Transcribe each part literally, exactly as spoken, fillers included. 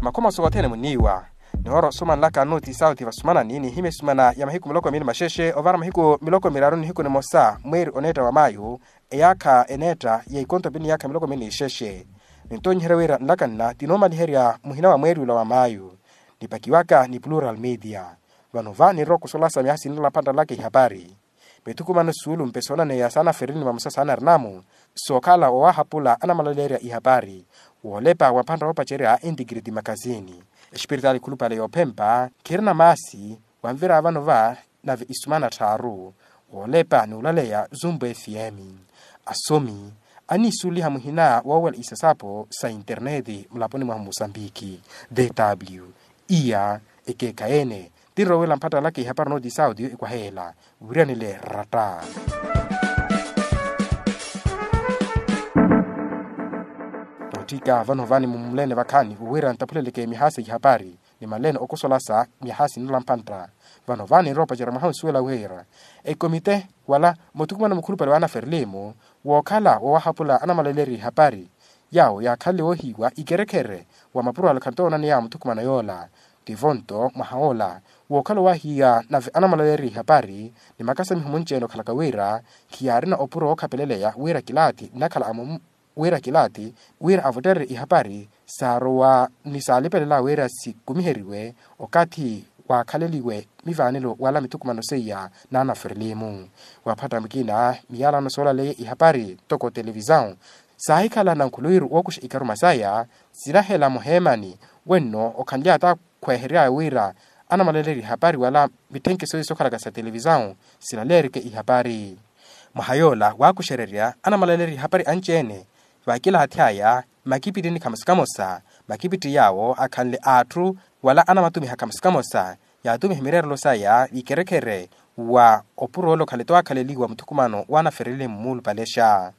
Makhomoso othene muniiwa. Nihoora osumanlaka noti sauti vasumanani nihimya esumana ya mahiku miloko miili maxexe ovara mahiku miloko miraru nihiku nimosa mweeri oneetta wa mayu, eyaakha eneetta ya ikonto pini yaakha miloko miili nixexe. Nintonyiherya wira nlakanna tinoomaliherya muhina wa mweeri ula wa mayu. Nipakiwaka ni plural media. Vano va ninrowa okusolasa myaha sinnola mphantta nlaka ihapari. Mithukumano suulumpe soonaneya saanaferini vamosa saanarinamu sookhala wowahapula anamalalerya ihapari. Woolepa wa mphantta woopacerya intikiriti makasini, espiritaali khulupale yoophempa khirina maasi. Wanvira vano va nave isumana tthaaru woolepa n'ulaleya zumpu fm. Asomi aniisuliha muhina woowela isasapo sa interneti mulaponi mwahu musambiki. Dw iya ekeekhayi ene tinrowela mpattalaka ihapari nooti saudio ekwaheela wiiranile ratta. Tootthika vano vani mumulene vakhaani owiira nttaphuleleke myaha sa ihapari ni malene okosolasa myaha sinnola mphantta. Vano vani nrowa opacerya mwaha onsuwela wira ekomite wala muthukumano mukhulupale wa anaferelimu wookhala wowahapula anamalalerya ihapari yaawo yaakhanle woohiiwa ikerekhere wa mapuro alakhanto onaneya muthukumano yoola. Tivo nto mwaha ola wookhala owaahiya nave anamalalerya ihapari ni makasamiho munci-ene okhalaka wira khiyaarina opuro wookhapeleleya wira kilaati nnakhala amumu wira kilaati wira avottererye ihapari saarowa ni saalipelela wira sikumiheriwe okathi waakhaleliwe mivaanelo wala mithukumano seiya n'anaferelimu. Waphatta mukina miyalano soolaleya ihapari ntoko televisão saahikhala nankhuluwiru wookuxa ikaruma saya sinahela muheemani wenno okhanly'ata khweehery'aya wira anamalalerya ihapari wala mitthenkeso sookhalaka sa televisão silaleerike ihapari. Mwaha yoola waakuxererya anamalalerya ihapari anci-ene vaakilaathi aya makipitini khamosa khamosa makipiti yaawo akhanle atthu wala anamatumiha khamosa khamosa yaatumiha mireerelo saya vikerekhere wa opuro ole okhanle-to waakhaleliwa muthukumano wa anaferelimu muulupalexa.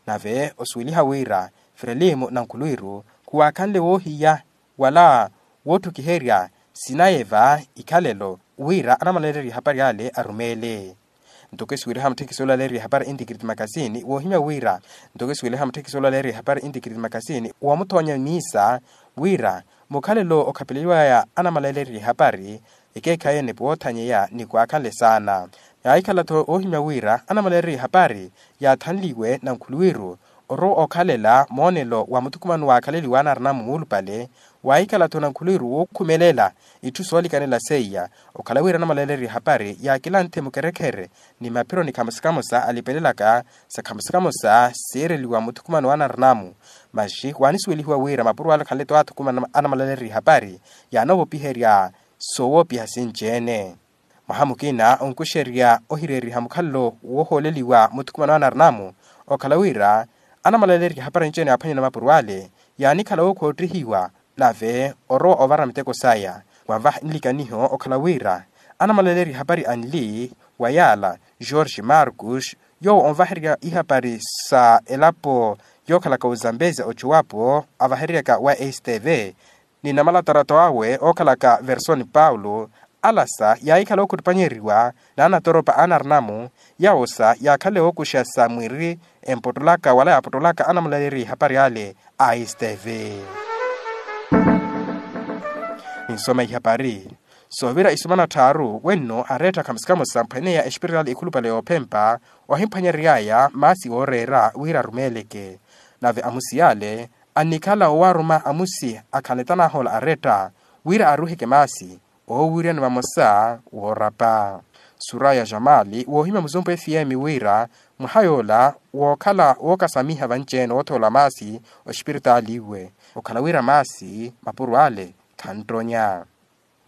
Nave osuweliha wira ferelimu nankhuluwiru khuwaakhanle woohiya wala wootthukiherya sinaye va ikhalelo wira anamalalerya ihapari ale arumeele. Ntoko esiweliha mutthekisi olaleerya ihapari intikiriti makasini woohimya wira ntoko esiweliha mutthekisi olaleerya ihapari intikiriti makasini wamuthoonya miisa wira mukhalelo okhapeleliwaya anamalalerya ihapari ekeekhayi ene pwoothanyeya ni kwaakhanle saana. Yaahikhala-tho oohimya wira anamalalerya ihapari yaathanliwe nankhuluwiru orowa okhalela moonelo wa muthukumano waakhaleliwa anarinamu muulupale. Waahikhala-tho nankhuluwiru wookhumelela itthu soolikanela seiya okhala wira anamalalerya ihapari yaakilanthe mukerekhere ni maphiro ni khamosa khamosa alipelelaka sa khamosa khamosa siireliwa muthukumano wa anarinamu. Maxi waanisuwelihiwa wira mapuro ale akhanle-to aathukumana anamalalerya ihapari yaanoovopiherya soowoopiha sinci-ene. Mwaha mukina onkuxerya ohireeriha mukhalelo woohooleliwa muthukumano anarinamu okhala wira anamalalerya ihapari anci-ene yaaphwanyana mapuro ale yaanikhala wookhoottihiwa nave orowa ovara miteko saya. Wanvaha nlikaniho okhala wira anamalalerya ihapari anli wa yaala george marcus yoowo onvahererya ihapari sa elapo yookhalaka ozambezia ocuwapo avahereryaka wa stv ni namalatarato awe ookhalaka versoni paulo. Alasa yaahikhala ookhuttupanyeriwa n'anatoropa anarinamu yaawosa yaakhanle wookuxa sa mwiri empottolaka wala yaapottolaka anamulaleri ihapari ale a stv. Ninsoma ihapari soovira isumana tthaaru wenno areetta khamosa khamosa mphweneya espiritaali ikhulupale yoophempa ohimphwanyereryaya maasi ooreera wira arumeeleke. Nave amusi yaale annikhala owaaruma amusi akhanle tanahoola aretta wira aruuheke maasi oowiriyani vamosa woorapa. Suraya jamali woohimya muzumpu fm wira mwaha yoola wookhala wookasamiha vanci-ene woothoola maasi ospiritaali iwe okhala wira maasi mapuro ale khanttonya.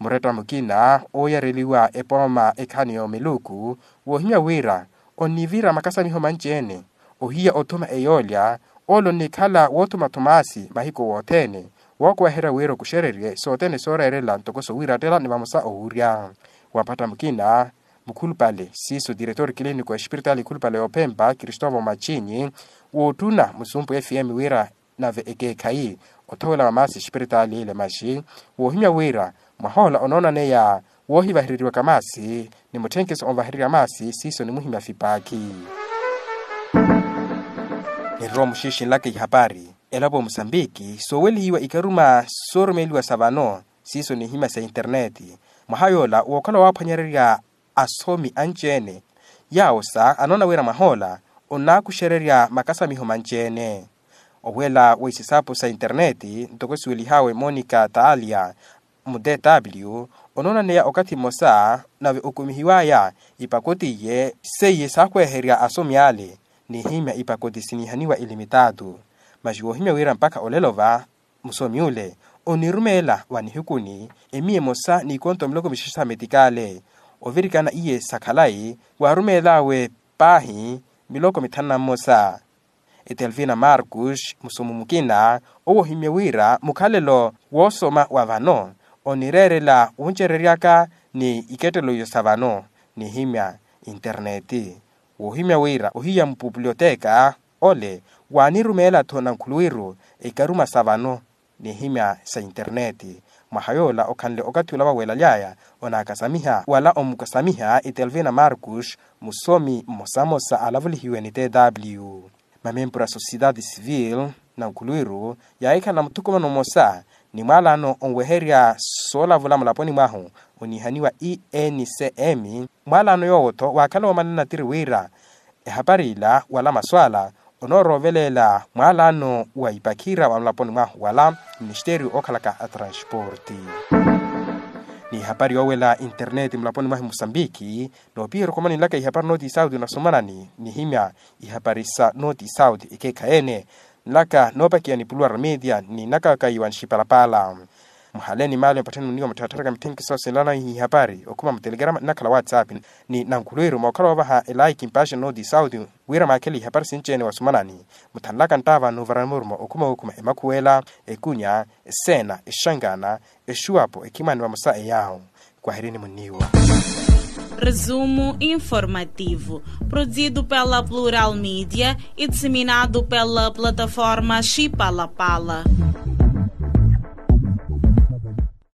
Muretta mukina ooyareliwa epooma ekhaani yoomiluku woohimya wira onnivira makasamiho manci-ene ohiya othuma eyoolya ole onnikhala woothuma thomaasi mahiku wothene wookuweherya wira okuxererye sothene sooreerela ntoko sowiirattela ni vamosa owurya. Wapatta mukina mukhulupale siiso tiretori kiliniko espiritaali ikhulupale yoophempa kristovo machinyi wootthuna musumpu fm wira nave ekeekhayi othowela wa maasi espiritaali ile maxi woohimya wira mwahoola onoonaneya woohivahereriwaka maasi ni mutthenkeso onvahererya maasi siiso nimuhimya fipaakhi. Niroowa muxiixinlaka ihapari Elapo musambiki soowelihiwa ikaruma soorumeeliwa sa vano siiso nihimya sa interneti. Mwaha yoola wookhala waaphwanyererya asomi anci-ene yaawo sa anoona wira mwahoola onnaakuxererya makasamiho manci-ene. Oweela wa isisaapo sa interneti ntoko siwelihaawe monica taalia mu tw onoonaneya okathi mmosa nave okumihiwaya ipakoti iye seiye saakhweherya asomi ale. Nihimya ipakoti siniihaniwa ilimitaatu maxi woohimya wira mpakha olelo va musomi ule onirumeela wa nihikuni emiya emosa n'ikonto miloko mixaxa sa metikale ovirikana iye sa khalayi waarumeel'awe paahi miloko mithanu na mmosa. Etelvina marcus musomi mukina owo ohimye wira mukhalelo woosoma wa vano onireerela wuncereryaka ni ikettelo iyo sa vano nihimya interneti. Woohimya wira ohiya mupupuliyoteka ole waanirumeela-tho nankhuluwiru ekaruma sa vano nihimya sa interneti. Mwaha yoola okhanle okathi ola vaweelaly'aya onaakasamiha wala omukasamiha etelvina marcus musomi mmosamosa alavulihiwe ni tw mamempuru a sosiyetaati sivili nankhuluwiru yaahikhala na muthukumano mmosa ni mwaalano onweherya soolavula mulaponi mwahu oniihaniwa encm. Mwaalano yoowo-tho waakhala woomanana tiri wira ehapari ila wala maswaala onoorooveleela mwaalano wa ipakhiira wa mulaponi mwahu wala ministeriyo ookhalaka atransporti. Ni ihapari yoowela interneti mulaponi mwahu musambiki noopiherya okhomani nlaka ihapari noti sauti nasomanani nihimya ihapari sa noti sauti ekeekhayi-ene nlaka noopakiya ni puluwara media ni naka kayiwa nxipalapala. Muhale ni maali mpatthani muniwa muttharatharaka mithenkiso sinlana ihapari okhuma mutelekerama nnakhala whatsapp ni nankhuluwiru mookhala woovaha elaiki mpaxa noti sauti wira maakhele ihapari sinci-ene wasomanani muthanlaka nttaava nuuvarani murumo okhuma wookhuma emakhuwela ekunya eseena exankana exuwapo ekhimani vamosa eyaawo. Kwahirini muniiwa. Resumo informativo produzido pela plural media e disseminado pela plataforma xipalapala.